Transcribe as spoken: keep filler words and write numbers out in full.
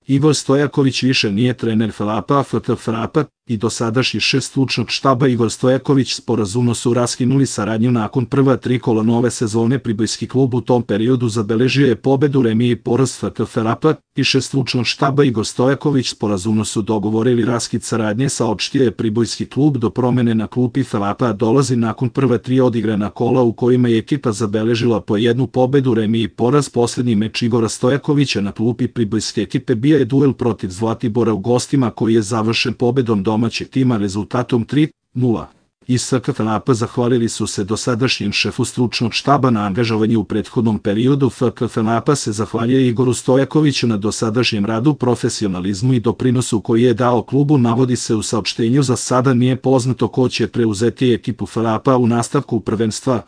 Igor Stojaković više nije trener FAP-a, F K FAP i dosadašnji šef stručnog štaba Igor Stojaković sporazumno su raskinuli saradnju nakon prva tri kola nove sezone. Pribojski klub u tom periodu zabeležio je pobedu, remi i poraz. F K FAP i šef stručnog štaba Igor Stojaković sporazumno su dogovorili raskid saradnje, saopštio je Pribojski klub. Do promene na klupi FAP-a dolazi nakon prva tri odigrana kola u kojima je ekipa zabeležila po jednu pobedu, remi i poraz. Poslednji meč Igora Stojakovića na klupi pribojske ekipe bio je duel protiv Zlatibora u gostima koji je završen pobedom domaćeg tima rezultatom tri nula. Iz F K FAP zahvalili su se dosadašnjem šefu stručnog štaba na angažovanju u prethodnom periodu. F K FAP se zahvaljuje Igoru Stojakoviću na dosadašnjem radu, profesionalizmu i doprinosu koji je dao klubu, navodi se u saopštenju. Za sada nije poznato ko će preuzeti ekipu FAP-a u nastavku prvenstva.